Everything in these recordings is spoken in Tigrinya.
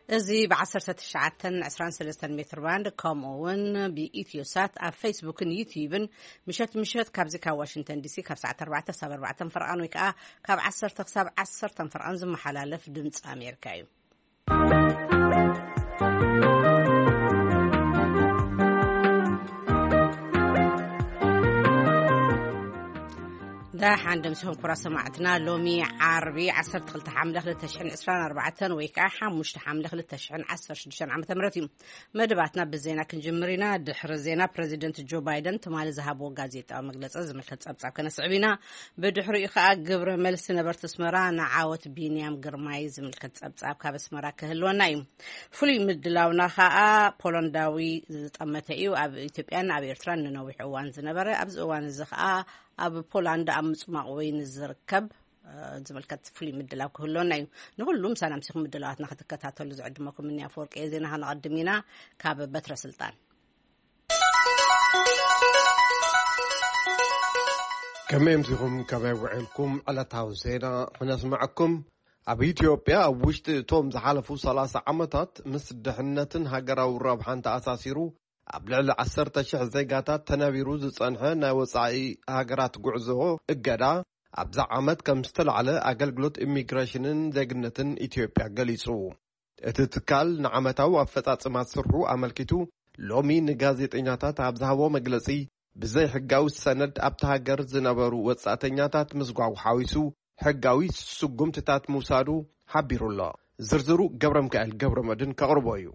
እዚ ብ19 23 ሜትር ባንድ፣ ከምኡ እውን ብኢትዮሳት ኣብ ፌስቡክን ዩቲዩብን፣ ምሸት ምሸት ካብዚ ካብ ዋሽንግተን ዲሲ ካብ ሰዓት ኣርባዕተ ሳብ ኣርባዕተ ፈርቓን ወይ ከዓ ካብ ዓሰርተ ክሳብ ዓሰርተ ፈርቓን ዝመሓላለፍ ድምፂ ኣሜሪካ እዩ። ደሓን ደምሲኹም ኩራ ሰማዕትና። ሎሚ ዓርቢ ዓሰርተ ክልተ ሓምለ ክልተ ሽሕን ዕስራን ኣርባዕተን ወይ ከዓ ሓሙሽተ ሓምለ ክልተ ሽሕን ዓሰርተ ሽዱሽተን ዓመተ ምህረት እዩ። መደባትና ብዜና ክንጅምር ኢና። ድሕሪ ዜና ፕረዚደንት ጆ ባይደን ትማሊ ዝሃብዎ ጋዜጣዊ መግለጺ ዝምልከት ጸብጻብ ከነስዕብ ኢና። ብድሕሪኡ ከዓ ግብረ መልሲ ነበርቲ ኣስመራ ንዓወት ቢንያም ግርማይ ዝምልከት ጸብጻብ ካብ ኣስመራ ክህልወና እዩ። ፍሉይ ምድላውና ከዓ ፖላንዳዊ ዝጠመተ እዩ። ኣብ ኢትዮጵያን ኣብ ኤርትራን ንነዊሕ እዋን ዝነበረ፣ ኣብዚ እዋን እዚ ከዓ ኣብ ፖላንድ ኣብ ምጽማቕ ወይኒ ዝርከብ፣ እ፣ ዝምልከት ፍሉይ ምድላው ክህልወና እዩ። ንኹሉም ሰላም ሲኹም ምድላዋትና ክትከታተሉ ዝዕድመኩም እኒ ኣፈወርቂ እየ። ዜና ከነቐድም ኢና። ካብ በትረ ስልጣን። ከመይ ኣምሲኹም፣ ከመይ ውዒልኩም? ዕለታዊ ዜና ክነስምዐኩም። ኣብ ኢትዮጵያ ኣብ ውሽጢ እቶም ዝሓለፉ ሰላሳ ዓመታት ምስ ድሕነትን ሃገራዊ ረብሓን ተኣሳሲሩ ኣብ ልዕሊ ዓሰርተ ሽሕ ዜጋታት ተነቢሩ ዝጸንሐ ናይ ወጻኢ ሃገራት ጉዕዞ እገዳ ኣብዛ ዓመት ከም ዝተላዕለ ኣገልግሎት ኢሚግሬሽንን ዜግነትን ኢትዮጵያ ገሊጹ። እቲ ትካል ንዓመታዊ ኣፈጻጽማ ስርሑ ኣመልኪቱ ሎሚ ንጋዜጠኛታት ኣብ ዝሃቦ መግለጺ፣ ብዘይሕጋዊ ሰነድ ኣብታ ሃገር ዝነበሩ ወጻእተኛታት ምስጓጉ ሓዊሱ ሕጋዊ ስጉምትታት ምውሳዱ ሓቢሩ ኣሎ። ዝርዝሩ ገብረ ሚካኤል ገብረ መድህን ከቕርቦ እዩ።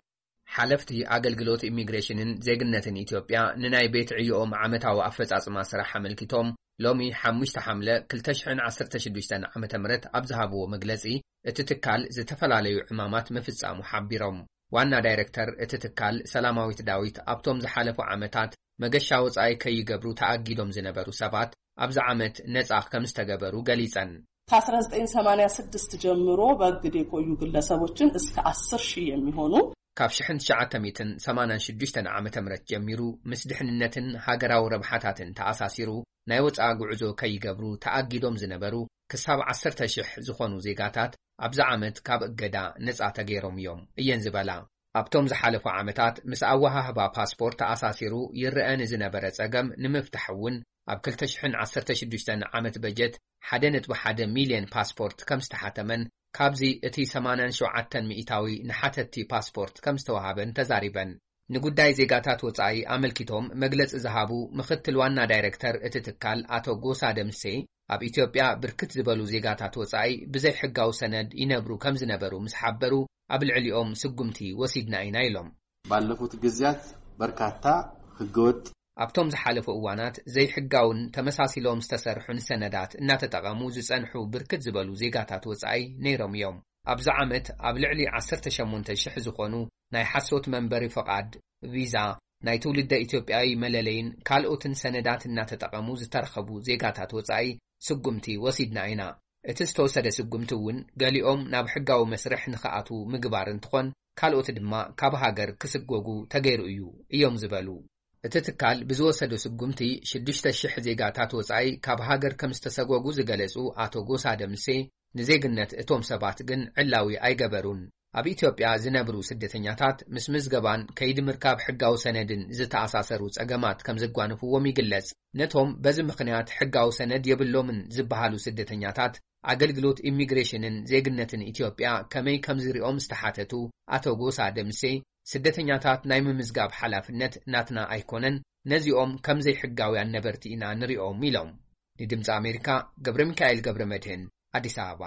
ሓለፍቲ ኣገልግሎት ኢሚግሬሽንን ዜግነትን ኢትዮጵያ ንናይ ቤት ዕዮኦም ዓመታዊ ኣፈጻጽማ ስራሕ ኣመልኪቶም ሎሚ ሓሙሽተ ሓምለ ክልተ ሽሕን ዓሰርተ ሽዱሽተን ዓመተ ምህረት ኣብ ዝሃብዎ መግለጺ፣ እቲ ትካል ዝተፈላለዩ ዕማማት ምፍጻሙ ሓቢሮም። ዋና ዳይሬክተር እቲ ትካል ሰላማዊት ዳዊት፣ ኣብቶም ዝሓለፉ ዓመታት መገሻ ወጻኢ ከይገብሩ ተኣጊዶም ዝነበሩ ሰባት ኣብዚ ዓመት ነጻ ከም ዝተገበሩ ገሊጸን። ከ1986 ጀምሮ በእግድ የቆዩ ግለሰቦችን እስከ አስር ሺህ የሚሆኑ ካብ ሽሕን ትሽዓተ ሚእትን ሰማንያን ሽዱሽተን ዓመተ ምህረት ጀሚሩ ምስ ድሕንነትን ሃገራዊ ረብሓታትን ተኣሳሲሩ ናይ ወጻኢ ጉዕዞ ከይገብሩ ተኣጊዶም ዝነበሩ ክሳብ ዓሰርተ ሽሕ ዝኾኑ ዜጋታት ኣብዚ ዓመት ካብ እገዳ ነጻ ተገይሮም እዮም እየን ዝበላ። ኣብቶም ዝሓለፉ ዓመታት ምስ ኣወሃህባ ፓስፖርት ተኣሳሲሩ ይረአ ንዝነበረ ጸገም ንምፍታሕ እውን ኣብ ክልተ ሽሕን ዓሰርተ ሽዱሽተን ዓመት በጀት ሓደ ነጥቢ ሓደ ሚልዮን ፓስፖርት ከም ዝተሓተመን፣ ካብዚ እቲ ሰማንያን ሸውዓተን ሚእታዊ ንሓተቲ ፓስፖርት ከም ዝተወሃበን ተዛሪበን። ንጉዳይ ዜጋታት ወጻኢ ኣመልኪቶም መግለጺ ዝሃቡ ምኽትል ዋና ዳይሬክተር እቲ ትካል ኣቶ ጎሳ ደምሴ፣ ኣብ ኢትዮጵያ ብርክት ዝበሉ ዜጋታት ወጻኢ ብዘይሕጋዊ ሰነድ ይነብሩ ከም ዝነበሩ ምስ ሓበሩ፣ ኣብ ልዕሊኦም ስጉምቲ ወሲድና ኢና ኢሎም። ባለፉት ጊዜያት በርካታ ህገወጥ ኣብቶም ዝሓለፉ እዋናት ዘይሕጋውን ተመሳሲሎም ዝተሰርሑን ሰነዳት እናተጠቐሙ ዝጸንሑ ብርክት ዝበሉ ዜጋታት ወጻኢ ነይሮም እዮም። ኣብዚ ዓመት ኣብ ልዕሊ ዓሰርተ ሸሞንተ ሽሕ ዝኾኑ ናይ ሓሶት መንበሪ ፍቓድ፣ ቪዛ፣ ናይ ትውልደ ኢትዮጵያዊ መለለይን ካልኦትን ሰነዳት እናተጠቐሙ ዝተረኸቡ ዜጋታት ወጻኢ ስጉምቲ ወሲድና ኢና። እቲ ዝተወሰደ ስጉምቲ እውን ገሊኦም ናብ ሕጋዊ መስርሕ ንኽኣትዉ ምግባር እንትኾን፣ ካልኦት ድማ ካብ ሃገር ክስጎጉ ተገይሩ እዩ እዮም ዝበሉ። እቲ ትካል ብዝወሰዶ ስጉምቲ ሽዱሽተ ሽሕ ዜጋታት ወጻኢ ካብ ሃገር ከም ዝተሰጎጉ ዝገለጹ ኣቶ ጎሳ ደምሴ፣ ንዜግነት እቶም ሰባት ግን ዕላዊ ኣይገበሩን። ኣብ ኢትዮጵያ ዝነብሩ ስደተኛታት ምስ ምዝገባን ከይዲ ምርካብ ሕጋዊ ሰነድን ዝተኣሳሰሩ ጸገማት ከም ዘጓንፍዎም ይግለጽ። ነቶም በዚ ምኽንያት ሕጋዊ ሰነድ የብሎምን ዝበሃሉ ስደተኛታት ኣገልግሎት ኢሚግሬሽንን ዜግነትን ኢትዮጵያ ከመይ ከም ዝሪኦም ዝተሓተቱ ኣቶ ጎሳ ደምሴ፣ ስደተኛታት ናይ ምምዝጋብ ሓላፍነት ናትና ኣይኮነን፣ ነዚኦም ከም ዘይሕጋውያን ነበርቲ ኢና ንሪኦም ኢሎም። ንድምፂ ኣሜሪካ ገብረ ሚካኤል ገብረ መድህን፣ ኣዲስ ኣበባ።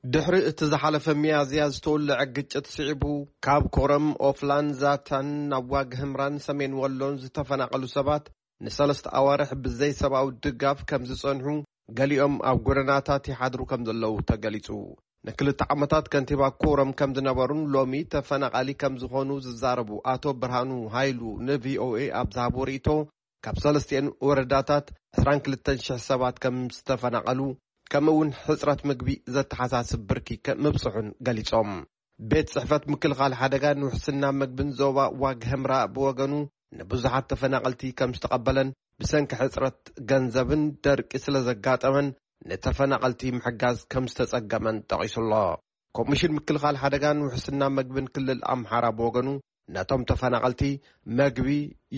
ድሕሪ እቲ ዝሓለፈ ሚያዝያ ዝተወልዐ ግጭት ስዒቡ፣ ካብ ኮረም፣ ኦፍላን፣ ዛታን ናብ ዋግ ህምራን ሰሜን ወሎን ዝተፈናቐሉ ሰባት ንሰለስተ ኣዋርሕ ብዘይ ሰብኣዊ ድጋፍ ከም ዝጸንሑ፣ ገሊኦም ኣብ ጎደናታት ይሓድሩ ከም ዘለዉ ተገሊጹ። ንክልተ ዓመታት ከንቲባ ኮረም ከም ዝነበሩን ሎሚ ተፈናቓሊ ከም ዝኾኑ ዝዛረቡ ኣቶ ብርሃኑ ሃይሉ ንቪኦኤ ኣብ ዝሃብዎ ርእይቶ፣ ካብ ሰለስቲኤን ወረዳታት ዕስራን ክልተን ሽሕ ሰባት ከም ዝተፈናቐሉ፣ ከምኡ እውን ሕጽረት ምግቢ ዘተሓሳስብ ብርኪ ከ-፣ ምብጽሑን ገሊጾም። ቤት ጽሕፈት ምክልኻል ሓደጋን ውሕስና ምግብን ዞባ ዋግ ህምራ ብወገኑ፣ ንብዙሓት ተፈናቐልቲ ከም ዝተቐበለን፣ ብሰንኪ ሕጽረት ገንዘብን ደርቂ ስለ ዘጋጠመን፣ ንተፈናቐልቲ ምሕጋዝ ከም ዝተጸገመን ጠቒሱ ኣሎ። ኮሚሽን ምክልኻል ሓደጋን ውሕስና መግብን ክልል ኣምሓራ ብወገኑ፣ ነቶም ተፈናቐልቲ መግቢ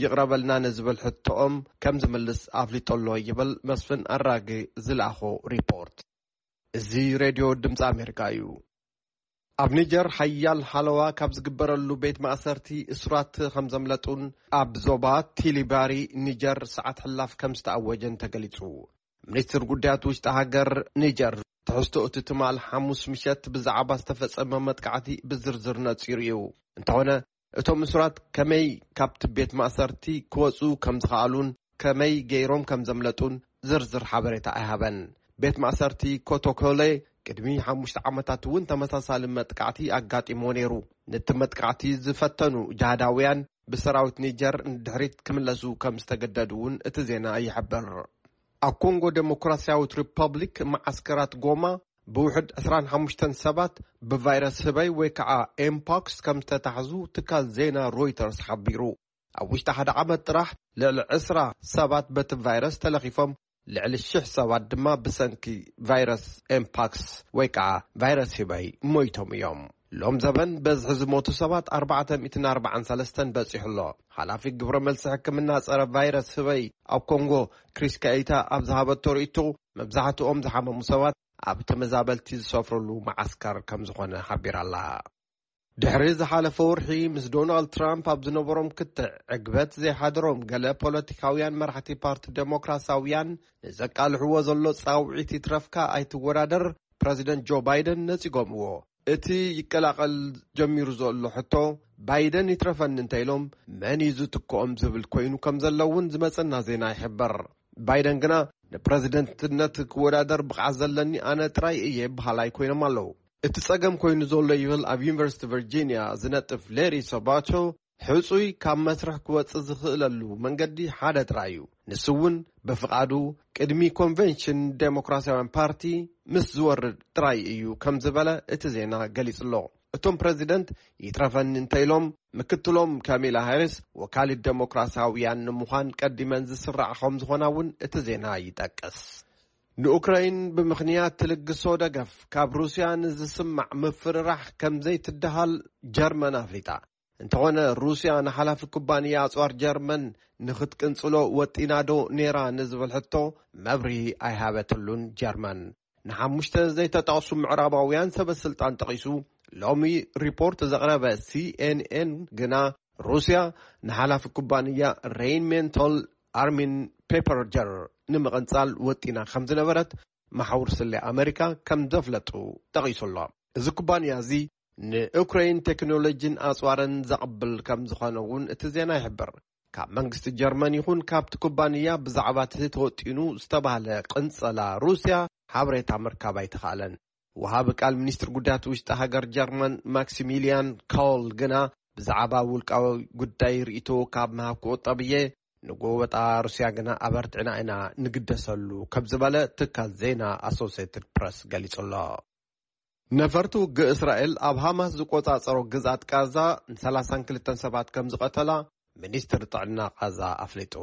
ይቕረበልና ንዝብል ሕቶኦም ከም ዝምልስ ኣፍሊጡ ኣሎ ይብል መስፍን ኣራጊ ዝለኣኾ ሪፖርት። እዚ ሬድዮ ድምፂ ኣሜሪካ እዩ። ኣብ ኒጀር ሓያል ሓለዋ ካብ ዝግበረሉ ቤት ማእሰርቲ እሱራት ከም ዘምለጡን ኣብ ዞባ ቲሊባሪ ኒጀር ሰዓት ሕላፍ ከም ዝተኣወጀን ተገሊጹ። ሚኒስትር ጉዳያት ውሽጢ ሃገር ኒጀር ትሕዝቶ እቲ ትማል ሓሙስ ምሸት ብዛዕባ ዝተፈጸመ መጥቃዕቲ ብዝርዝር ነጺሩ እዩ። እንተኾነ እቶም እሱራት ከመይ ካብቲ ቤት ማእሰርቲ ክወጹ ከም ዝኸኣሉን ከመይ ገይሮም ከም ዘምለጡን ዝርዝር ሓበሬታ ኣይሃበን። ቤት ማእሰርቲ ኮቶኮሌ ቅድሚ ሓሙሽተ ዓመታት እውን ተመሳሳሊ መጥቃዕቲ ኣጋጢሞ ነይሩ። ነቲ መጥቃዕቲ ዝፈተኑ ጃሃዳውያን ብሰራዊት ኒጀር ንድሕሪት ክምለሱ ከም ዝተገደዱ እውን እቲ ዜና ይሕብር። ኣብ ኮንጎ ዴሞክራሲያዊት ሪፐብሊክ መዓስከራት ጎማ ብውሕድ ዕስራን ሓሙሽተን ሰባት ብቫይረስ ህበይ ወይ ከዓ ኤምፖክስ ከም ዝተታሕዙ ትካል ዜና ሮይተርስ ሓቢሩ። ኣብ ውሽጢ ሓደ ዓመት ጥራሕ ልዕሊ ዕስራ ሰባት በቲ ቫይረስ ተለኺፎም፣ ልዕሊ ሽሕ ሰባት ድማ ብሰንኪ ቫይረስ ኤምፓክስ ወይ ከዓ ቫይረስ ህበይ ሞይቶም እዮም። ሎም ዘበን በዝሒ ዝሞቱ ሰባት ኣርባዕተ ሚእትን ኣርባዓን ሰለስተን በጺሑ ኣሎ። ሓላፊ ግብረ መልሲ ሕክምና ጸረ ቫይረስ ህበይ ኣብ ኮንጎ ክሪስ ካኢታ ኣብ ዝሃበቶ ርእይቶ፣ መብዛሕትኦም ዝሓመሙ ሰባት ኣብ ተመዛበልቲ ዝሰፍርሉ መዓስከር ከም ዝኾነ ሓቢራ ኣላ። ድሕሪ ዝሓለፈ ወርሒ ምስ ዶናልድ ትራምፕ ኣብ ዝነበሮም ክትዕ ዕግበት ዘይሓደሮም ገለ ፖለቲካውያን መራሕቲ ፓርቲ ዴሞክራሲያውያን ንዘቃልሕዎ ዘሎ ጻውዒት ይትረፍካ ኣይትወዳደር ፕረዚደንት ጆ ባይደን ነጺጎምዎ። እቲ ይቀላቐል ጀሚሩ ዘሎ ሕቶ ባይደን ይትረፈኒ እንተ ኢሎም መን እዩ ዝትክኦም ዝብል ኮይኑ ከም ዘሎ እውን ዝመጸና ዜና ይሕበር። ባይደን ግና ንፕረዚደንትነት ክወዳደር ብቕዓት ዘለኒ ኣነ ጥራይ እየ በሃላይ ኮይኖም ኣለዉ። እቲ ጸገም ኮይኑ ዘሎ ይብል ኣብ ዩኒቨርሲቲ ቨርጂኒያ ዝነጥፍ ሌሪ ሰባቶ፣ ሕጹይ ካብ መስርሕ ክወጽእ ዝኽእለሉ መንገዲ ሓደ ጥራይ እዩ። ንሱ እውን ብፍቓዱ ቅድሚ ኮንቨንሽን ዴሞክራሲያውያን ፓርቲ ምስ ዝወርድ ጥራይ እዩ ከም ዝበለ እቲ ዜና ገሊጹ ኣሎ። እቶም ፕረዚደንት ይትረፈኒ እንተ ኢሎም ምክትሎም ካሚላ ሃሪስ ወካሊት ዴሞክራሲያውያን ንምዃን ቀዲመን ዝስራዕ ከም ዝኾና እውን እቲ ዜና ይጠቅስ። ንኡክራይን ብምኽንያት ትልግሶ ደገፍ ካብ ሩስያ ንዝስማዕ ምፍርራሕ ከም ዘይትደሃል ጀርመን ኣፍሊጣ። እንተኾነ ሩስያ ንሓላፊ ኩባንያ ኣጽዋር ጀርመን ንኽትቅንጽሎ ወጢናዶ ኔራ ንዝብል ሕቶ መብርሂ ኣይሃበትሉን ጀርመን። ንሓሙሽተ ዘይተጠቕሱ ምዕራባውያን ሰበ ስልጣን ጠቒሱ ሎሚ ሪፖርት ዘቕረበ ሲኤንኤን ግና ሩስያ ንሓላፊ ኩባንያ ሬይንሜንቶል ኣርሚን ፔፐርጀር ንምቕንጻል ወጢና ከም ዝነበረት መሓውር ስለ ኣመሪካ ከም ዘፍለጡ ጠቒሱ ኣሎ። እዚ ኩባንያ እዚ ንኡክራይን ቴክኖሎጂን ኣጽዋርን ዘቕብል ከም ዝኾነ እውን እቲ ዜና ይሕብር። ካብ መንግስቲ ጀርመን ይኹን ካብቲ ኩባንያ ብዛዕባ እቲ ተወጢኑ ዝተባህለ ቅንጸላ ሩስያ ሓበሬታ ምርካብ ኣይተኻእለን። ወሃቢ ቃል ሚኒስትር ጉዳያት ውሽጢ ሃገር ጀርመን ማክሲሚሊያን ኮል ግና ብዛዕባ ውልቃዊ ጉዳይ ርእይቶ ካብ ምሃብ ክቑጠብ እየ፣ ንጎበጣ ሩስያ ግና ኣበርቲዕና ኢና ንግደሰሉ ከም ዝበለ ትካል ዜና ኣሶሴትድ ፕረስ ገሊጹ ኣሎ። ነፈርቲ ውግእ እስራኤል ኣብ ሃማስ ዝቆጻጸሮ ግዝኣት ቃዛ ን ሰላሳን ክልተን ሰባት ከም ዝቐተላ ሚኒስትር ጥዕና ቃዛ ኣፍሊጡ።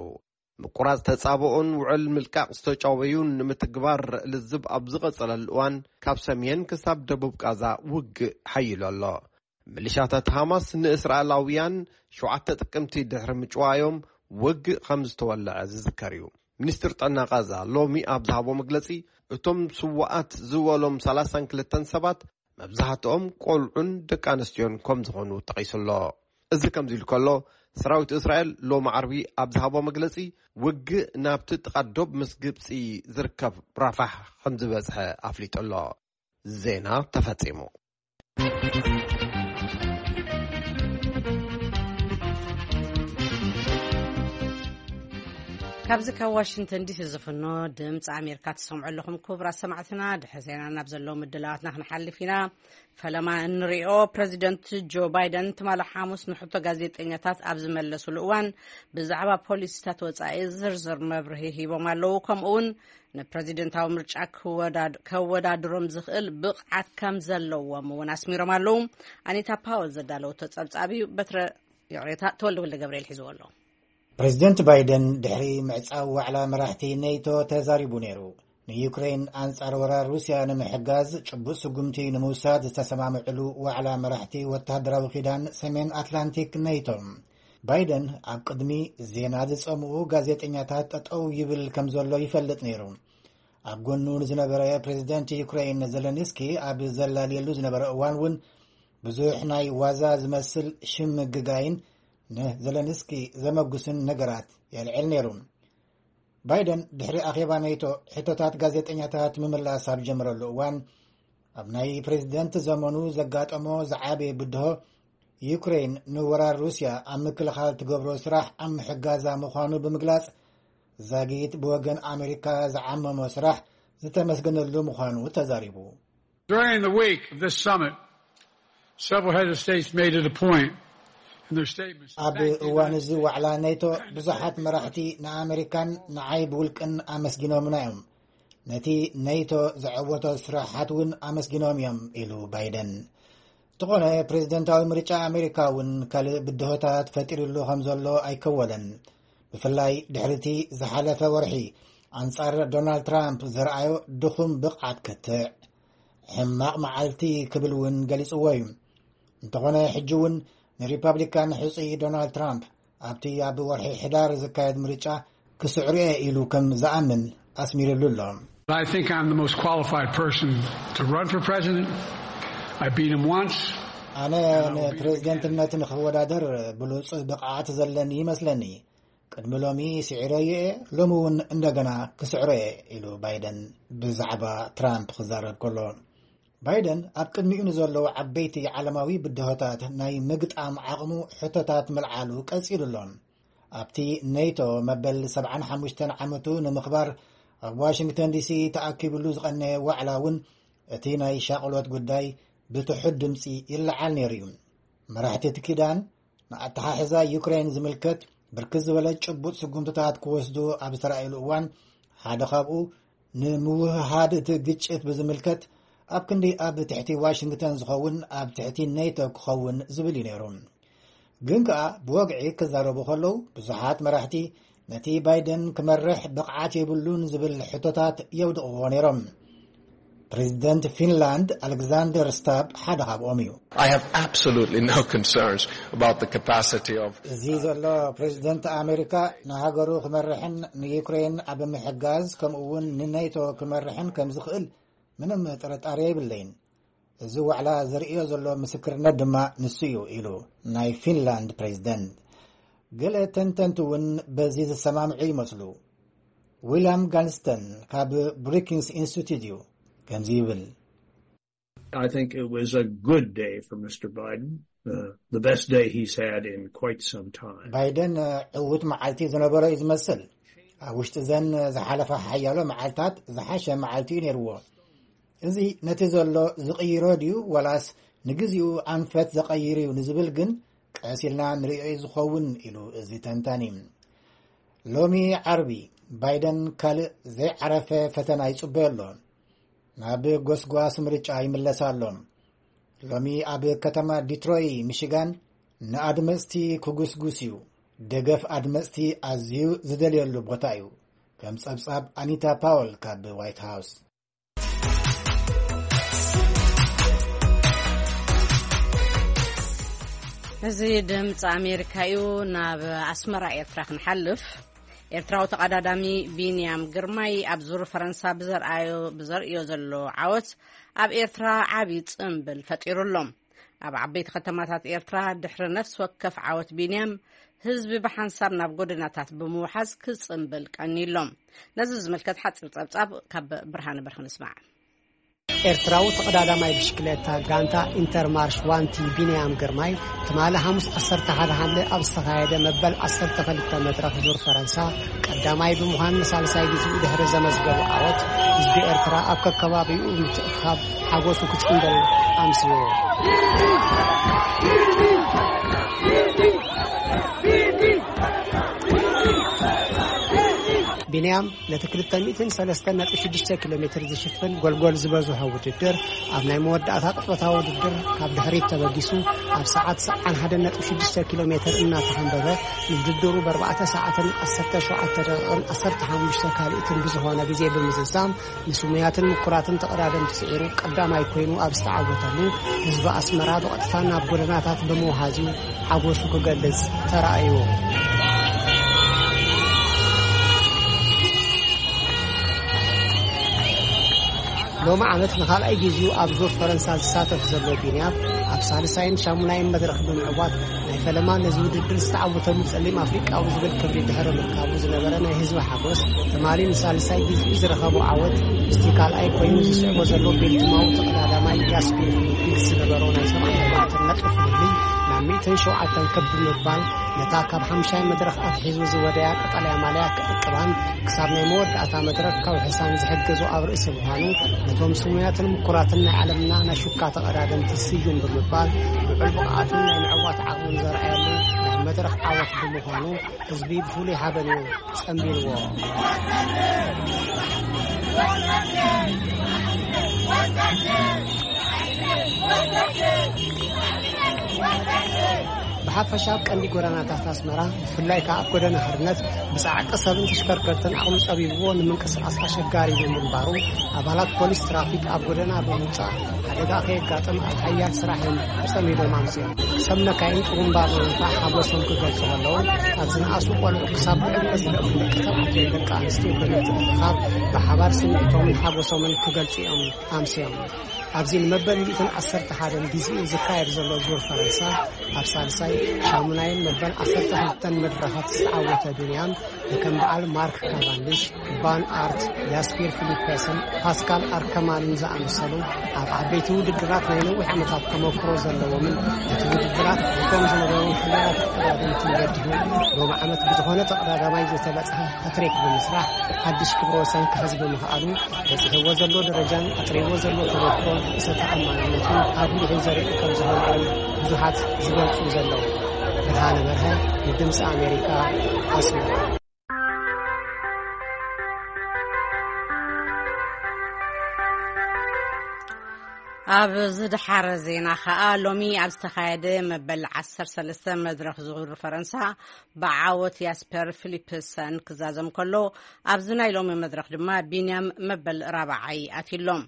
ምቁራጽ ተጻብኦን ውዕል ምልቃቕ ዝተጨወዩን ንምትግባር ልዝብ ኣብ ዝቐጸለሉ እዋን ካብ ሰሜን ክሳብ ደቡብ ቃዛ ውግእ ሓይሉ ኣሎ። ሚሊሻታት ሃማስ ንእስራኤላውያን ሸውዓተ ጥቅምቲ ድሕሪ ምጭዋዮም ውግእ ከም ዝተወለዐ ዝዝከር እዩ። ሚኒስትር ጥዕና ቃዛ ሎሚ ኣብ ዝሃቦ መግለጺ እቶም ስዋኣት ዝበሎም ሰላሳን ክልተን ሰባት መብዛሕትኦም ቆልዑን ደቂ ኣንስትዮን ከም ዝኾኑ ጠቒሱ ኣሎ። እዚ ከምዚ ኢሉ ከሎ ሰራዊት እስራኤል ሎሚ ዓርቢ ኣብ ዝሃቦ መግለጺ ውግእ ናብቲ ጥቓ ዶብ ምስ ግብጺ ዝርከብ ራፋሕ ከም ዝበጽሐ ኣፍሊጡ ኣሎ። ዜና ተፈጺሙ። ካብዚ ካብ ዋሽንግተን ዲሲ ዝፍኖ ድምፂ ኣሜሪካ ትሰምዑ ኣለኹም። ክቡራት ሰማዕትና፣ ድሕሪ ዜና ናብ ዘለዉ ምድላዋትና ክንሓልፍ ኢና። ፈለማ እንሪኦ፣ ፕረዚደንት ጆ ባይደን ትማሊ ሓሙስ ንሕቶ ጋዜጠኛታት ኣብ ዝመለሱሉ እዋን ብዛዕባ ፖሊሲታት ወፃኢ ዝርዝር መብርሂ ሂቦም ኣለዉ። ከምኡ እውን ንፕረዚደንታዊ ምርጫ ክወዳድ-፣ ከወዳድሮም ዝኽእል ብቕዓት ከም ዘለዎም እውን ኣስሚሮም ኣለዉ። ኣኒታ ፓወል ዘዳለወቶ ጸብጻብ እዩ። በትረ፣ ይቕሬታ፣ ተወልደ ወልደ ገብርኤል ሒዝዎ ኣሎ። ፕረዚደንት ባይደን ድሕሪ ምዕጻው ዋዕላ መራሕቲ ኔቶ ተዛሪቡ ነይሩ። ንዩክሬን ኣንጻር ወራር ሩስያ ንምሕጋዝ ጭቡጥ ስጉምቲ ንምውሳድ ዝተሰማምዕሉ ዋዕላ መራሕቲ ወተሃደራዊ ኪዳን ሰሜን ኣትላንቲክ ኔቶ። ባይደን ኣብ ቅድሚ ዜና ዝጸምኡ ጋዜጠኛታት ጠጠው ይብል ከም ዘሎ ይፈልጥ ነይሩ። ኣብ ጎኑ ንዝነበረ ፕሬዚደንት ዩክሬን ዘለንስኪ ኣብ ዘላልየሉ ዝነበረ እዋን እውን ብዙሕ ናይ ዋዛ ዝመስል ሽምግጋይን ንዘለንስኪ ዘመጉስን ነገራት የልዕል ነይሩ። ባይደን ድሕሪ ኣኼባ ኔቶ ሕቶታት ጋዜጠኛታት ምምላስ ኣብ ጀመረሉ እዋን፣ ኣብ ናይ ፕሬዚደንት ዘመኑ ዘጋጠሞ ዝዓበየ ብድሆ፣ ዩክሬን ንወራር ሩስያ ኣብ ምክልኻል ትገብሮ ስራሕ ኣብ ምሕጋዛ ምዃኑ ብምግላጽ፣ ዛጊት ብወገን ኣሜሪካ ዝዓመሞ ስራሕ ዝተመስገነሉ ምዃኑ ተዛሪቡ። During the week of this summit, several heads of states made it a point in their statements to ኣብ thank the እዋን United እዚ ዋዕላ ኔቶ ብዙሓት መራሕቲ ንኣሜሪካን ንዓይ ብውልቅን ኣመስጊኖምና እዮም። ነቲ ኔቶ ዘዐወቶ ስራሓት እውን ኣመስጊኖም እዮም ኢሉ ባይደን። እንተኾነ ፕሬዝደንታዊ ምርጫ ኣሜሪካ እውን ካልእ ብድሆታት ፈጢሩሉ ከም ዘሎ ኣይከወለን። ብፍላይ ድሕሪቲ ዝሓለፈ ወርሒ ኣንጻር ዶናልድ ትራምፕ ዘርኣዮ ድኹም ብቕዓት ክትዕ ሕማቕ መዓልቲ ክብል እውን ገሊጽዎ እዩ። እንተኾነ ሕጂ እውን ንሪፐብሊካን ሕጹይ ዶናልድ ትራምፕ ኣብቲ ኣብ ወርሒ ሕዳር ዝካየድ ምርጫ ክስዕሩ እየ ኢሉ ከም ዝኣምን ኣስሚርሉ ኣሎ። I think I'm the most qualified person to run for president. I beat him once. ኣነ ንፕሬዝደንትነት ንክወዳደር ብሉፅ ብቕዓት ዘለኒ ይመስለኒ። ቅድሚ ሎሚ ስዒረዮ እየ፣ ሎሚ እውን እንደገና ክስዕሮ እየ ኢሉ ባይደን ብዛዕባ ትራምፕ ክዛረብ ከሎ። ባይደን ኣብ ቅድሚኡ ንዘለዉ ዓበይቲ ዓለማዊ ብድሆታት ናይ ምግጣም ዓቕሙ ሕቶታት ምልዓሉ ቀጺሉ ኣሎ። ኣብቲ ኔቶ መበል ሰብዓን ሓሙሽተን ዓመቱ ንምኽባር ኣብ ዋሽንግተን ዲሲ ተኣኪብሉ ዝቐነየ ዋዕላ እውን እቲ ናይ ሻቕሎት ጉዳይ ብትሑት ድምፂ ይለዓል ነይሩ እዩ። መራሕቲ እቲ ኪዳን ንኣተሓሕዛ ዩክሬን ዝምልከት ብርክት ዝበለ ጭቡጥ ስጉምትታት ክወስዱ ኣብ ዝተራእየሉ እዋን፣ ሓደ ካብኡ ንምውህሃድ እቲ ግጭት ብዝምልከት ኣብ ክንዲ ኣብ ትሕቲ ዋሽንግተን ዝኸውን ኣብ ትሕቲ ኔቶ ክኸውን ዝብል እዩ ነይሩ። ግን ከኣ ብወግዒ ክዛረቡ ከለዉ ብዙሓት መራሕቲ ነቲ ባይደን ክመርሕ ብቕዓት የብሉን ዝብል ሕቶታት የውድቕዎ ነይሮም። ፕሬዚደንት ፊንላንድ ኣሌክዛንደር ስታብ ሓደ ካብኦም እዩ። I have absolutely no concerns about the capacity of እዚ ዘሎ ፕሬዚደንት ኣሜሪካ ንሃገሩ ክመርሕን ንዩክሬን ኣብ ምሕጋዝ ከምኡ እውን ንኔቶ ክመርሕን ከም ዝኽእል ምንም ጥርጣሬ የብለይን። እዚ ዋዕላ ዘርእዮ ዘሎ ምስክርነት ድማ ንሱ እዩ ኢሉ ናይ ፊንላንድ ፕሬዚደንት። ገለ ተንተንቲ እውን በዚ ዝሰማምዑ ይመስሉ። ዊልያም ጋልስተን ካብ ብሩኪንግስ ኢንስቲትዩት እዩ ከምዚ ይብል። I think it was a good day for Mister Biden, uh, the best day he's had in quite some time. ባይደን ዕዉት መዓልቲ ዝነበሮ እዩ ዝመስል። ኣብ ውሽጢ ዘን ዝሓለፋ ሓያሎ መዓልታት ዝሓሸ መዓልቲ እዩ ነይርዎ። እዚ ነቲ ዘሎ ዝቕይሮ ድዩ ወላስ ንግዚኡ ኣንፈት ዘቐይር እዩ ንዝብል ግን ቀስ ኢልና ንርእዮ እዩ ዝኸውን ኢሉ እዚ ተንታኒ። ሎሚ ዓርቢ ባይደን ካልእ ዘይዓረፈ ፈተና ይጽበዮ ኣሎ። ናብ ጎስጓስ ምርጫ ይምለስ ኣሎ። ሎሚ ኣብ ከተማ ዲትሮይ ሚሽጋን ንኣድመጽቲ ክጉስጉስ እዩ። ደገፍ ኣድመጽቲ ኣዝዩ ዝደልየሉ ቦታ እዩ። ከም ጸብጻብ ኣኒታ ፓወል ካብ ዋይት ሃውስ። እዚ ድምፂ ኣሜሪካ እዩ። ናብ ኣስመራ ኤርትራ ክንሓልፍ። ኤርትራዊ ተቐዳዳሚ ቢንያም ግርማይ ኣብ ዙር ፈረንሳ ብዘርኣዮ ብዘርእዮ ዘሎ ዓወት ኣብ ኤርትራ ዓቢ ጽምብል ፈጢሩ ኣሎ። ኣብ ዓበይቲ ከተማታት ኤርትራ ድሕሪ ነፍሲ ወከፍ ዓወት ቢንያም ህዝቢ ብሓንሳብ ናብ ጎደናታት ብምውሓዝ ክጽምብል ቀንዩ ኣሎ። ነዚ ዝምልከት ሓጺር ጸብጻብ ካብ ብርሃነ በርሀ ንስማዕ። ኤርትራዊ ተቐዳዳማይ ብሽክሌታ ጋንታ ኢንተርማርሽ ዋንቲ ቢንያም ግርማይ ትማሊ ሓሙስ ዓሰርተ ሓደ ሓምለ ኣብ ዝተኻየደ መበል ዓሰርተ ክልተ መድረኽ ዙር ፈረንሳ ቀዳማይ ብምዃን ንሳልሳይ ግዜኡ ድሕሪ ዘመዝገቡ ዓወት ህዝቢ ኤርትራ ኣብ ከከባቢኡ ምትእኽኻብ ሓጎሱ ክጽንበል ኣምስዎ። ኒያም ነቲ ክልተ ሚእትን ሰለስተን ነጥቢ ሽዱሽተ ኪሎ ሜትር ዝሽፍን ጎልጎል ዝበዝሖ ውድድር፣ ኣብ ናይ መወዳእታ ቅጽበታዊ ውድድር ካብ ድሕሪት ተበጊሱ፣ ኣብ ሰዓት ሰዓን ሓደ ነጥቢ ሽዱሽተ ኪሎ ሜትር እናተኸንበበ፣ ንውድድሩ ብኣርባዕተ ሰዓትን ዓሰርተ ሸውዓተ ደቂቕን ዓሰርተ ሓሙሽተ ካልኢትን ብዝኾነ ግዜ ብምዝዛም፣ ንስሙያትን ምኩራትን ተቐዳደምቲ ስዒሩ ቀዳማይ ኮይኑ ኣብ ዝተዓወተሉ፣ ህዝቢ ኣስመራ ብቐጥታ ናብ ጎደናታት ብምውሃዝ'ዩ ሓጎሱ ክገልጽ ተራእዩ። ሎሚ ዓመት ንኻልኣይ ግዜኡ ኣብ ዙር ፈረንሳ ዝሳተፍ ዘሎ ቢንያም፣ ኣብ ሳልሳይን ሻሙናይን መድረኽ ብምዕዋት፣ ናይ ፈለማ ነዚ ውድድር ዝተዓወተሉ ጸሊም ኣፍሪቃዊ ዝብል ክብሪ ድሕሪ ምርካቡ ዝነበረ ናይ ህዝቢ ሓጎስ፣ ትማሊ ንሳልሳይ ግዜኡ ዝረኸቦ ዓወት፣ ምስቲ ካልኣይ ኮይኑ ዝስዕቦ ዘሎ ቤልጅማዊ ተቐዳዳማይ ያስፒር ፊሊፕስ ዝነበሮ ናይ ሰብዓን ኣርባዕተን ነጥቢ ፍልልይ ናብ ሚእትን ሸውዓተን ከብ ብምባል፣ ነታ ካብ ሓምሻይ መድረኽ ኣትሒዙ ዝወደያ ቀጠልያ ማልያ ክዕቅባን ክሳብ ናይ መወዳእታ መድረኽ ከውሕሳን ዝሕግዞ ኣብ ርእሲ ምዃኑ፣ ነቶም ስሙያትን ምኩራትን ናይ ዓለምና ናይ ሹካ ተቐዳደምቲ ስዩም ብምባል፣ ልዑል ብቕዓቱን ናይ ምዕዋት ዓቕሙን ዘርኣየሉ ናይ መድረኽ ዓወት ብምዃኑ፣ ህዝቢ ብፍሉይ ሓበን እዩ ጸንቢልዎ። ብሓፈሻ ኣብ ቀንዲ ጎደናታት ኣስመራ፣ ብፍላይ ከኣ ኣብ ጎደና ሓርነት፣ ብጻዕቂ ሰብን ተሽከርከርትን ዓቕሚ ጸቢብዎ ንምንቅስቓስ ኣሸጋሪ ብምንባሩ፣ ኣባላት ፖሊስ ትራፊክ ኣብ ጎደና ብምውጻእ ሓደጋ ከየጋጥም ኣብ ሓያል ስራሕ እዮም ተጸሚዶም ኣምስዮም። ሰብ መካይን ጥሩምባ ብምንፋሕ ሓጎሶም ክገልጹ ከለዉ፣ ካብ ዝነኣሱ ቆልዑ ክሳብ ብዕድመ ዝደፍኡ ደቂ ተባዕትዮን ደቂ ኣንስትዮን ብምትእኽኻብ ብሓባር ስምዒቶምን ሓጎሶምን ክገልጹ እዮም ኣምስዮም። ኣብዚ ንመበል ሚእትን ዓሰርተ ሓደን ግዜኡ ዝካየድ ዘሎ ዙር ፈረንሳ፣ ኣብ ሳልሳይ፣ ሻሙናይን መበል ዓሰርተ ክልተን መድረኻት ዝተዓወተ ቢንያም፣ ከም በዓል ማርክ ካቫንዲሽ፣ ቫን ኣርት፣ ያስፒር ፊሊፕስን ፓስካል ኣርከማንን ዝኣመሰሉ ኣብ ዓበይቲ ውድድራት ናይ ነዊሕ ዓመታት ተመክሮ ዘለዎምን እቲ ውድድራት ኣፍሪቆም ዝነበሩ ሕሉላት ተቐዳደምትን ገዲሁ፣ ሎሚ ዓመት ብዝኾነ ተቐዳዳማይ ዘይተበጽሐ ሃትሪክ ብምስራሕ ሓድሽ ክብረ ወሰን ክሕዝ ብምኽኣሉ፣ በጺሕዎ ዘሎ ደረጃን ኣጥሪዎ ዘሎ ተመክሮን ርእሰ ተኣማንነቱን ኣጉሊሑ ዘርኢ ከም ዝኾነ እዮም ብዙሓት ዝገልጹ ዘለዉ። ብርሃነ በርሀ፣ ንድምፂ ኣሜሪካ፣ ኣስመራ። ኣብ ዝደሓረ ዜና ኸኣ፣ ሎሚ ኣብ ዝተኻየደ መበል ዓሰርተ ሰለስተ መድረኽ ዙር ፈረንሳ ብዓወት ያስፐር ፊሊፕሰን ክዛዘም ከሎ፣ ኣብዚ ናይ ሎሚ መድረኽ ድማ ቢንያም መበል ራብዓይ ኣትዩሎም።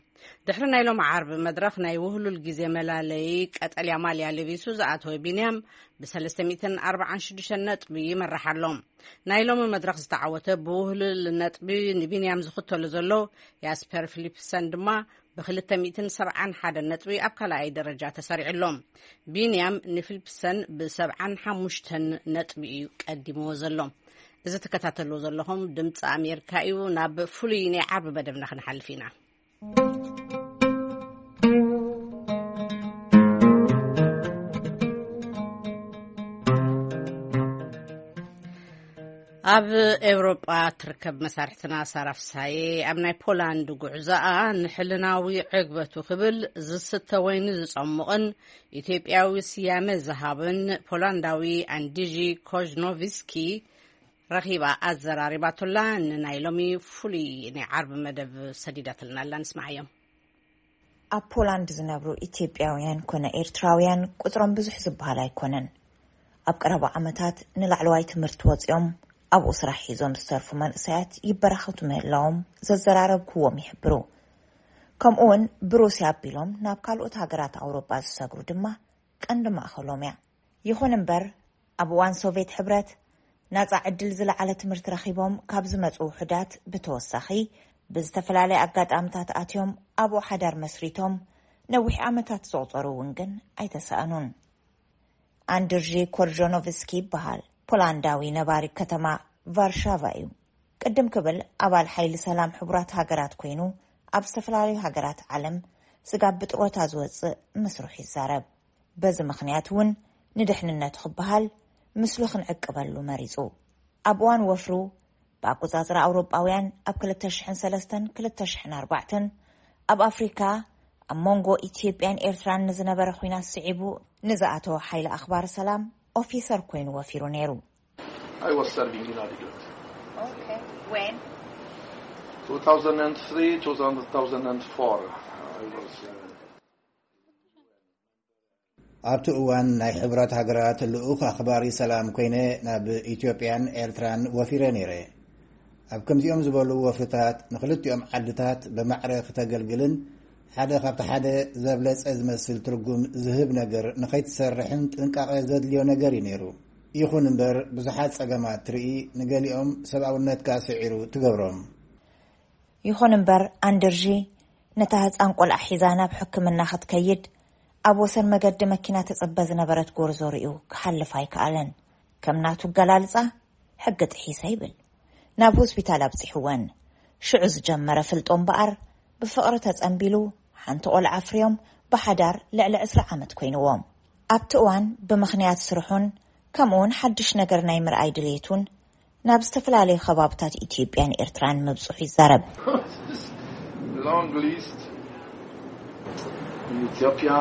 ድሕሪ ናይ ሎሚ ዓርቢ መድረኽ፣ ናይ ውህሉል ግዜ መላለዪ ቀጠልያ ማልያ ለቢሱ ዝኣተወ ቢንያም፣ ብሰለስተ ሚእትን ኣርባዓን ሽዱሽተን ነጥቢ ይመርሕ ኣሎ። ናይ ሎሚ መድረኽ ዝተዓወተ ብውህሉል ነጥቢ ንቢንያም ዝኽተሎ ዘሎ ያስፐር ፊሊፕሰን ድማ፣ ብክልተ ሚእትን ሰብዓን ሓደን ነጥቢ ኣብ ካልኣይ ደረጃ ተሰሪዑ ኣሎ። ቢንያም ንፊሊፕሰን ብሰብዓን ሓሙሽተን ነጥቢ እዩ ቀዲምዎ ዘሎ። እዚ ትከታተልዎ ዘለኹም ድምፂ ኣሜሪካ እዩ። ናብ ፍሉይ ናይ ዓርቢ መደብና ክንሓልፍ ኢና። ኣብ ኤውሮጳ ትርከብ መሳርሕትና ሳራ ፍሳዬ፣ ኣብ ናይ ፖላንድ ጉዕዞኣ፣ ንሕልናዊ ዕግበቱ ክብል ዝስተ ወይኒ ዝጸሙቕን ኢትዮጵያዊ ስያመ ዝሃብን ፖላንዳዊ ኣንድጂ ኮዥኖቪስኪ ረኺባ ኣዘራሪባቶላ። ንናይ ሎሚ ፍሉይ ናይ ዓርቢ መደብ ሰዲዳትልና ኣላ፣ ንስማዓዮም። ኣብ ፖላንድ ዝነብሩ ኢትዮጵያውያን ኮነ ኤርትራውያን ቁጽሮም ብዙሕ ዝበሃል ኣይኮነን። ኣብ ቀረባ ዓመታት ንላዕለዋይ ትምህርቲ ወጺኦም ኣብኡ ስራሕ ሒዞም ዝተርፉ መንእሰያት ይበራኸቱ ምህላዎም ዘዘራረብክዎም ይሕብሩ። ከምኡውን ብሩስያ ኣቢሎም ናብ ካልኦት ሃገራት ኣውሮጳ ዝሰግሩ ድማ ቀንዲ ማእኸሎም እያ። ይኹን እምበር፣ ኣብ እዋን ሶቭየት ሕብረት፣ ናጻ ዕድል ዝለዓለ ትምህርቲ ረኺቦም ካብ ዝመጹ ውሑዳት ብተወሳኺ፣ ብዝተፈላለየ ኣጋጣምታት ኣትዮም ኣብኡ ሓዳር መስሪቶም ነዊሕ ዓመታት ዘቑጸሩ እውን ግን ኣይተሳእኑን። ኣንድርጂ ኮርጆኖቭስኪ ይበሃል። ፖላንዳዊ ነባሪ ከተማ ቫርሻቫ እዩ። ቅድም ክብል ኣባል ሓይሊ ሰላም ሕቡራት ሃገራት ኮይኑ፣ ኣብ ዝተፈላለዩ ሃገራት ዓለም ስጋብ ብጥሮታ ዝወጽእ ምስርሑ ይዛረብ። በዚ ምኽንያት እውን ንድሕንነቱ ክበሃል ምስሉ ክንዕቅበሉ መሪጹ። ኣብ እዋን ወፍሩ፣ ብኣቆጻጽራ ኣውሮጳውያን ኣብ ክልተ ሽሕን ሰለስተን ክልተ ሽሕን ኣርባዕተን ኣብ ኣፍሪካ ኣብ መንጎ ኢትዮጵያን ኤርትራን ንዝነበረ ኲናት ስዒቡ ንዝኣተወ ሓይሊ ኣኽባር ሰላም ኦፊሰር ኮይኑ ወፊሩ ነይሩ። I was serving in Adigrat. Okay. When? two thousand three, two thousand four, I was. Uh, ኣብቲ እዋን ናይ ሕቡራት ሃገራት ልኡኽ ኣኽባሪ ሰላም ኮይነ ናብ ኢትዮጵያን ኤርትራን ወፊረ ነይረ። ኣብ ከምዚኦም ዝበሉ ወፍርታት ንኽልቲኦም ዓድታት ብማዕረ ክተገልግልን ሓደ ካብቲ ሓደ ዘብለጸ ዝመስል ትርጉም ዝህብ ነገር ንኸይትሰርሕን ጥንቃቐ ዘድልዮ ነገር እዩ ነይሩ። ይኹን እምበር ብዙሓት ጸገማት ትርኢ፣ ንገሊኦም ሰብኣውነትካ ስዒሩ ትገብሮም። ይኹን እምበር ኣንድርዢ ነታ ህጻን ቆልዓ ሒዛ ናብ ሕክምና ክትከይድ ኣብ ወሰን መገዲ መኪና ትጽበ ዝነበረት ጎርዞ ርእዩ ክሓልፍ ኣይከኣለን። ከም ናቱ ኣገላልጻ ሕጊ ጥሒሰ ይብል። ናብ ሆስፒታል ኣብጺሕወን። ሽዑ ዝጀመረ ፍልጦ እምበኣር ብፍቕሪ ተጸንቢሉ ሓንቲ ቆልዓ ኣፍርዮም ብሓዳር ልዕሊ ዕስራ ዓመት ኮይንዎም። ኣብቲ እዋን ብምኽንያት ስርሑን ከምኡውን ሓድሽ ነገር ናይ ምርኣይ ድሌቱን ናብ ዝተፈላለዩ ከባብታት ኢትዮጵያን ኤርትራን ምብጽሑ ይዛረብ። This long list in Ethiopia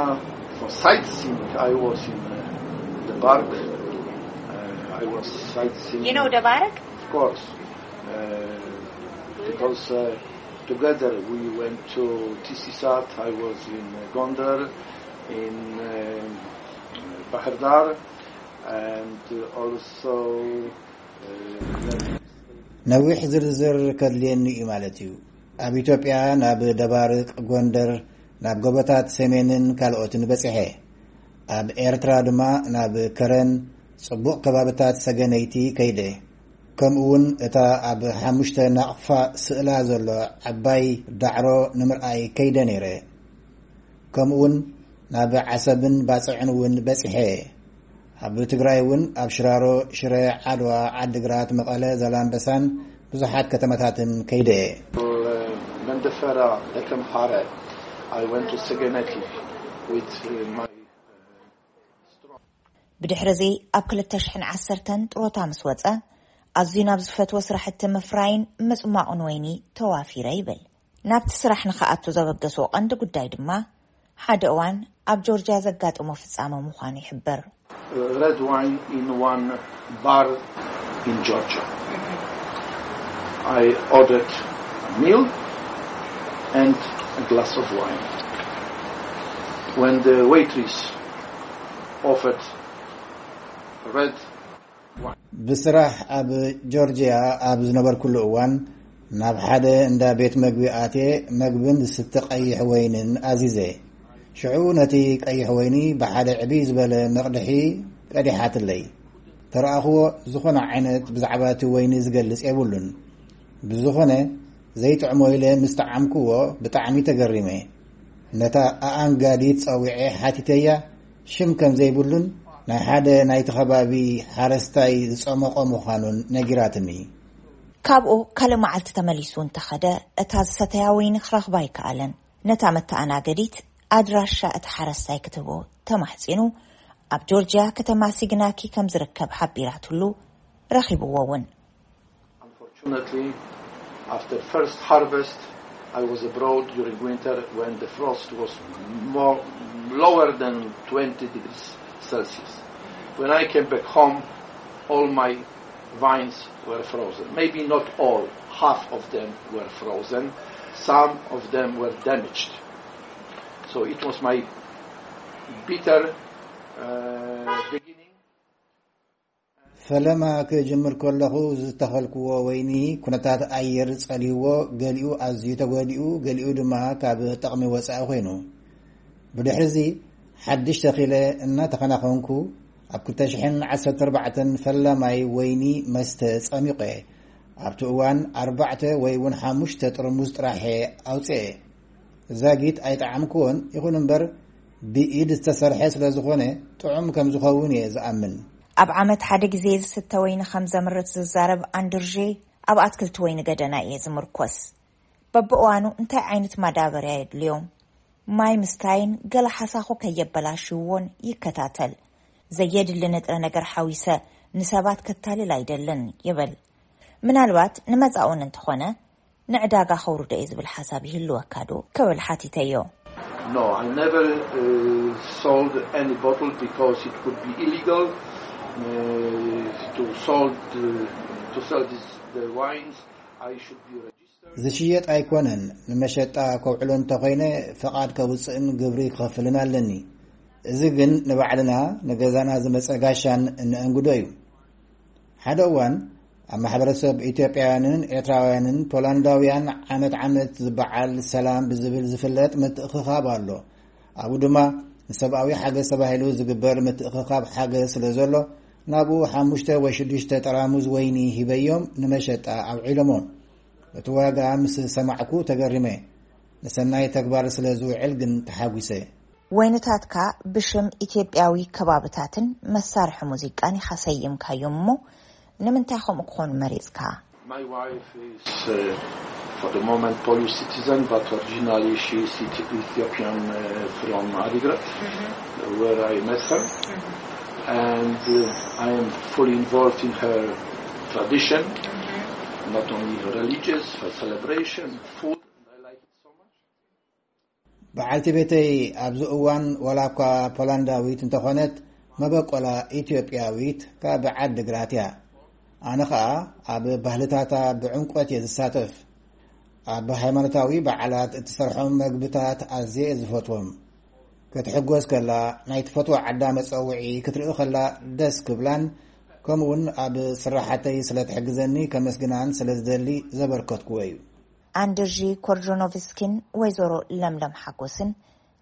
for sightseeing. I was in uh, the park. Uh, I was sightseeing. You know Debarek? Of course, uh, because uh, together we went to Tisisat. I was in uh, Gondar, in uh, Bahir Dar, and uh, also. Uh, ነዊሕ ዝርዝር ከድልየኒ እዩ ማለት እዩ። ኣብ ኢትዮጵያ ናብ ደባርቅ፣ ጎንደር፣ ናብ ጎቦታት ሰሜንን ካልኦትን በጺሐ። ኣብ ኤርትራ ድማ ናብ ከረን፣ ጽቡቕ ከባብታት ሰገነይቲ ከይደ። ከምኡ እውን እታ ኣብ ሓሙሽተ ናቕፋ ስእላ ዘሎ ዓባይ ዳዕሮ ንምርኣይ ከይደ ነይረ። ከምኡ እውን ናብ ዓሰብን ባጽዕን እውን በጺሐ። ኣብ ትግራይ እውን ኣብ ሽራሮ፣ ሽረ፣ ዓድዋ፣ ዓድግራት፣ መቐለ፣ ዛላምበሳን ብዙሓት ከተማታትን ከይደ እየ። Mandafera, Lekamhare. I went to Segeneti with uh, my. ብድሕሪ እዚ ኣብ ክልተ ሽሕን ዓሰርተን ጥሮታ ምስ ወጸ ኣዝዩ ናብ ዝፈትዎ ስራሕቲ ምፍራይን ምጽሟቕን ወይኒ ተዋፊረ ይብል። ናብቲ ስራሕ ንኽኣቱ ዘበገስዎ ቀንዲ ጉዳይ ድማ ሓደ እዋን ኣብ ጆርጅያ ዘጋጠሞ ፍጻመ ምዃኑ ይሕብር። Uh, red wine in one bar in Georgia. I ordered a meal and a glass of wine. When the waitress offered red wine. ብስራሕ ኣብ ጆርጅያ ኣብ ዝነበርኩሉ እዋን ናብ ሓደ እንዳ ቤት መግቢ ኣትየ መግብን ዝስተ ቀይሕ ወይንን ኣዚዘ። ሽዑ ነቲ ቀይሕ ወይኒ ብሓደ ዕብይ ዝበለ መቕድሒ ቀዲሓትለይ። ተረኣኽዎ ዝኾነ ዓይነት ብዛዕባ እቲ ወይኒ ዝገልጽ የብሉን። ብዝኾነ ዘይጥዕሞ ኢለ ምስ ጠዓምክዎ ብጣዕሚ ተገሪመ። ነታ ኣኣንጋዲት ጸዊዐ ሓቲተያ ሽም ከም ዘይብሉን ናይ ሓደ ናይቲ ከባቢ ሓረስታይ ዝጸመቖ ምዃኑን ነጊራትኒ። ካብኡ ካልእ መዓልቲ ተመሊሱ እንተኸደ እታ ዝሰተያ ወይኒ ክረኽባ ኣይከኣለን። ነታ መተኣናገዲት ኣድራሻ እቲ ሓረስታይ ክትህቦ ተማሕጺኑ ኣብ ጆርጅያ ከተማ ሲግናኪ ከም ዝርከብ ሓቢራትሉ ረኺብዎ እውን። Unfortunately, after first harvest, I was abroad during winter when the frost was more lower than twenty degrees Celsius. When I came back home, all my vines were frozen. Maybe not all, half of them were frozen. Some of them were damaged. So it was my bitter uh, beginning. ፈለማ ክጅምር ከለኹ ዝተኸልክዎ ወይኒ ኩነታት ኣየር ጸልይዎ ገሊኡ ኣዝዩ ተጎዲኡ፣ ገሊኡ ድማ ካብ ጠቕሚ ወጻኢ ኮይኑ። ብድሕርዚ ሓድሽ ተኺለ እናተኸናኸንኩ ኣብ ክልተ ሽሕን ዓሰርተ ኣርባዕተን ፈላማይ ወይኒ መስተ ጸሚቐ። ኣብቲ እዋን ኣርባዕተ ወይ እውን ሓሙሽተ ጥርሙዝ ጥራሕ ኣውፅኤ። ዛጊት ኣይጠዓምክዎን፣ ይኹን እምበር ብኢድ ዝተሰርሐ ስለ ዝኾነ ጥዑም ከም ዝኸውን እየ ዝኣምን። ኣብ ዓመት ሓደ ግዜ ዝስተ ወይኒ ከም ዘምርት ዝዛረብ ኣንድርዤ፣ ኣብ ኣትክልቲ ወይኒ ገደና እየ ዝምርኮስ። በብእዋኑ እንታይ ዓይነት ማዳበርያ የድልዮም፣ ማይ ምስታይን ገለ ሓሳኹ ከየበላሽውዎን ይከታተል። ዘየድሊ ንጥረ ነገር ሓዊሰ ንሰባት ከታልል ኣይደልን ይብል። ምናልባት ንመጻኡን እንተኾነ ንዕዳጋ ከውርዶ እየ ዝብል ሓሳብ ይህልወካ ዶ ክብል ሓቲተዮ። No, I never uh, sold any bottle because it could be illegal uh, to sold uh, to sell this, the wines. I should be registered. ዝሽየጥ ኣይኮነን። ንመሸጣ ከውዕሎ እንተኾይነ፣ ፈቓድ ከውፅእን ግብሪ ክኸፍልን ኣለኒ። እዚ ግን ንባዕልና፣ ንገዛና ዝመፀ ጋሻን እንእንግዶ እዩ። ሓደ እዋን፣ ኣብ ማሕበረሰብ ኢትዮጵያውያንን ኤርትራውያንን ፖላንዳውያን ዓመት ዓመት ዝበዓል ሰላም ብዝብል ዝፍለጥ ምትእኽኻብ ኣሎ። ኣብኡ ድማ ንሰብኣዊ ሓገዝ ተባሂሉ ዝግበር ምትእኽኻብ ሓገዝ ስለ ዘሎ፣ ናብኡ ሓሙሽተ ወይ ሽዱሽተ ጠራሙዝ ወይኒ ሂበዮም፣ ንመሸጣ ኣውዒሎሞ። እቲ ዋጋ ምስ ሰማዕኩ ተገሪመ። ንሰናይ ተግባር ስለ ዝውዕል ግን ተሓጒሰ። ወይንታትካ ብሽም ኢትዮጵያዊ ከባብታትን መሳርሒ ሙዚቃን ኢኻ ሰይምካዮም፣ እሞ ንምንታይ ከምኡ ክኾኑ መሪጽካ? My wife is, uh, for the moment, Polish citizen, but originally she is Ethiopian, uh, from Adigrat, where I met her. And, uh, I am fully involved in her tradition, not only her religious, her celebration, food, and I like it so much. በዓልቲ ቤተይ ኣብዚ እዋን ዋላ እኳ ፖላንዳዊት እንተኾነት፣ መበቆላ ኢትዮጵያዊት፣ ካብ ዓዲ ግራት እያ። ኣነ ኸኣ ኣብ ባህልታታ ብዕምቆት እየ ዝሳተፍ። ኣብ ሃይማኖታዊ በዓላት እትሰርሖም መግብታት ኣዝየ እየ ዝፈትዎም። ክትሕጎስ ከላ፣ ናይ ትፈትዋ ዓዳ መጸውዒ ክትርኢ ከላ ደስ ክብላን፣ ከምኡውን ኣብ ስራሓተይ ስለ ትሕግዘኒ ከመስግናን ስለ ዝደሊ ዘበርከትኩዎ እዩ። ኣንድርዢ ኮርጆኖቭስኪን ወይዘሮ ለምለም ሓጎስን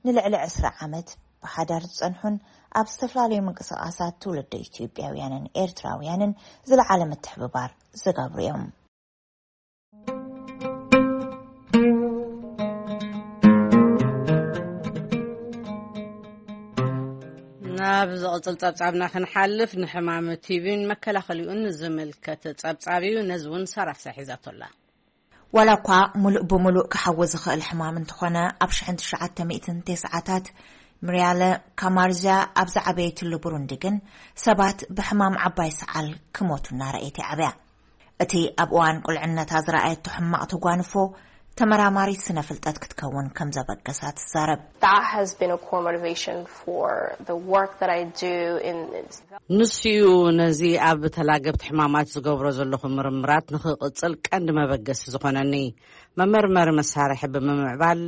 ንልዕሊ ዕስራ ዓመት ብሓዳር ዝጸንሑን ኣብ ዝተፈላለዩ ምንቅስቓሳት ትውልደ ኢትዮጵያውያንን ኤርትራውያንን ዝለዓለ ምትሕብባር ዝገብሩ እዮም። ናብ ዝቕጽል ጸብጻብና ክንሓልፍ፣ ንሕማም ቲቪን መከላኸሊኡን ዝምልከት ጸብጻብ እዩ። ነዚ እውን ሳራ ፍሳሕ ሒዛቶ ኣላ። ዋላ እኳ ሙሉእ ብሙሉእ ክሓዊ ዝኽእል ሕማም እንተኾነ፣ ኣብ ሽሕን ትሽዓተ ሚእትን ተስዓታት ምርያለ ካማርዝያ ኣብ ዝዓበየትሉ ብሩንዲ ግን ሰባት ብሕማም ዓባይ ሰዓል ክሞቱ እናረኣየት ይዓብያ። እቲ ኣብ እዋን ቁልዕነታ ዝረኣየቶ ሕማቕ ተጓንፎ፣ ተመራማሪት ስነ ፍልጠት ክትከውን ከም ዘበገሳ ትዛረብ። That has been a core motivation for the work that I do in ንሱ እዩ ነዚ ኣብ ተላገብቲ ሕማማት ዝገብሮ ዘለኹ ምርምራት ንኽቕጽል ቀንዲ መበገሲ ዝኾነኒ። መመርመሪ መሳርሒ ብምምዕባል፣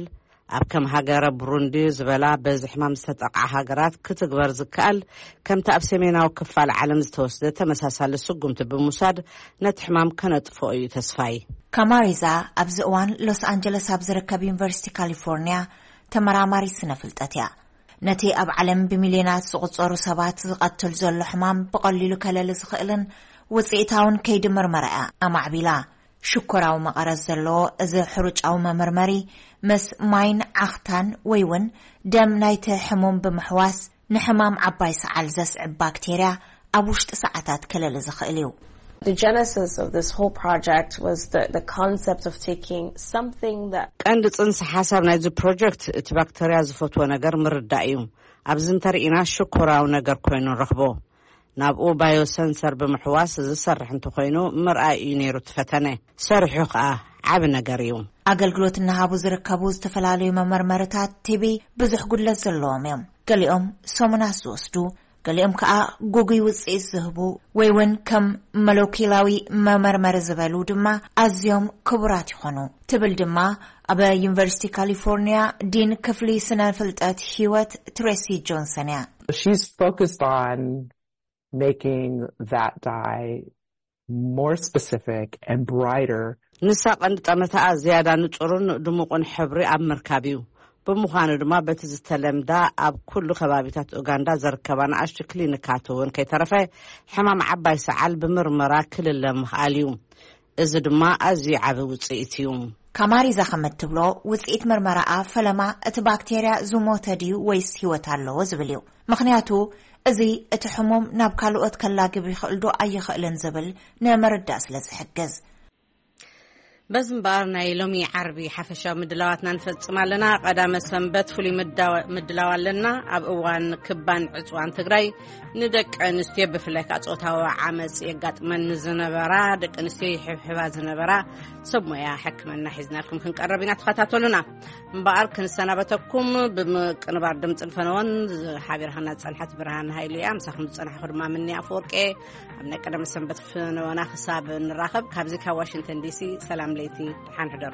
ኣብ ከም ሃገረ ብሩንዲ ዝበላ በዚ ሕማም ዝተጠቕዓ ሃገራት ክትግበር ዝከኣል፣ ከምቲ ኣብ ሰሜናዊ ክፋል ዓለም ዝተወስደ ተመሳሳሊ ስጉምቲ ብምውሳድ፣ ነቲ ሕማም ከነጥፍኦ እዩ ተስፋይ። ካማሪዛ ኣብዚ እዋን ሎስ ኣንጀለስ ኣብ ዝርከብ ዩኒቨርሲቲ ካሊፎርኒያ ተመራማሪት ስነ ፍልጠት እያ። ነቲ ኣብ ዓለም ብሚልዮናት ዝቑጸሩ ሰባት ዝቐትል ዘሎ ሕማም ብቐሊሉ ከለሊ ዝኽእልን ውጽኢታውን ከይዲ ምርመራ እያ ኣማዕቢላ። ሽኮራዊ መቐረት ዘለዎ እዚ ሕሩጫዊ መመርመሪ፣ ምስ ማይን ዓኽታን ወይ እውን ደም ናይቲ ሕሙም ብምሕዋስ፣ ንሕማም ዓባይ ሰዓል ዘስዕብ ባክቴርያ ኣብ ውሽጢ ሰዓታት ከለሊ ዝኽእል እዩ። The genesis of this whole project was the, the concept of taking something that ቀንዲ ጽንሰ ሓሳብ ናይዚ ፕሮጀክት፣ እቲ ባክተርያ ዝፈትዎ ነገር ምርዳእ እዩ። ኣብዚ እንተርኢና ሽኮራዊ ነገር ኮይኑ ንረኽቦ። ናብኡ ባዮ ሰንሰር ብምሕዋስ ዝሰርሕ እንተኾይኑ ምርኣይ እዩ ነይሩ እቲ ፈተነ። ሰሪሑ ኸኣ ዓቢ ነገር እዩ። ኣገልግሎት እናሃቡ ዝርከቡ ዝተፈላለዩ መመርመርታት ቲቢ ብዙሕ ጉድለት ዘለዎም እዮም። ገሊኦም ሰሙናት ዝወስዱ፣ ገሊኦም ከኣ ግጉይ ውጽኢት ዝህቡ ወይ እውን ከም ሞለኪላዊ መመርመሪ ዝበሉ ድማ ኣዝዮም ክቡራት ይኾኑ፣ ትብል ድማ ኣብ ዩኒቨርሲቲ ካሊፎርኒያ ዲን ክፍሊ ስነ ፍልጠት ህይወት ትሬሲ ጆንሰን እያ። She's focused on making that dye more specific and brighter. ንሳ ቀንዲ ጠመተኣ ዝያዳ ንጹርን ድሙቕን ሕብሪ ኣብ ምርካብ እዩ። ብምዃኑ ድማ በቲ ዝተለምዳ ኣብ ኩሉ ከባቢታት ኡጋንዳ ዘርከባ ንኣሽቱ ክሊኒካት እውን ከይተረፈ ሕማም ዓባይ ሰዓል ብምርመራ ክልለ ምኽኣል እዩ። እዚ ድማ ኣዝዩ ዓቢ ውጽኢት እዩ። ካማሪዛ ከም እትብሎ፣ ውጽኢት ምርመራኣ ፈለማ እቲ ባክቴርያ ዝሞተ ድዩ ወይስ ህይወት ኣለዎ ዝብል እዩ። ምኽንያቱ፣ እዚ እቲ ሕሙም ናብ ካልኦት ከላግብ ይኽእል ዶ ኣይኽእልን ዝብል ንምርዳእ ስለ ዝሕግዝ። በዚ እምበኣር ናይ ሎሚ ዓርቢ ሓፈሻዊ ምድላዋትና ንፈጽም ኣለና። ቀዳመ ሰንበት ፍሉይ ምዳወ-፣ ምድላው ኣለና። ኣብ እዋን ክባን ዕጽዋን ትግራይ ንደቂ ኣንስትዮ ብፍላይ ከዓ ጾታዊ ዓመጽ የጋጥመን ዝነበራ ደቂ ኣንስትዮ ይሕብሕባ ዝነበራ ሰብ ሞያ ሕክምና ሒዝናልኩም ክንቀረብ ኢና። ተኸታተሉና። እምበኣር ክንሰናበተኩም ብምቅንባር ድምፅን ፈነወን ሓቢርካና ዝጸንሐት ብርሃን ሃይሉ እያ። ምሳኹም ዝጸናሕኩ ድማ ምንያ ኣፈወርቂ። ኣብ ናይ ቀደም ሰንበት ፍነወና ክሳብ ንራኸብ ካብዚ ካብ ዋሽንግተን ዲሲ ሰላም ለይቲ ሓንሕደሩ።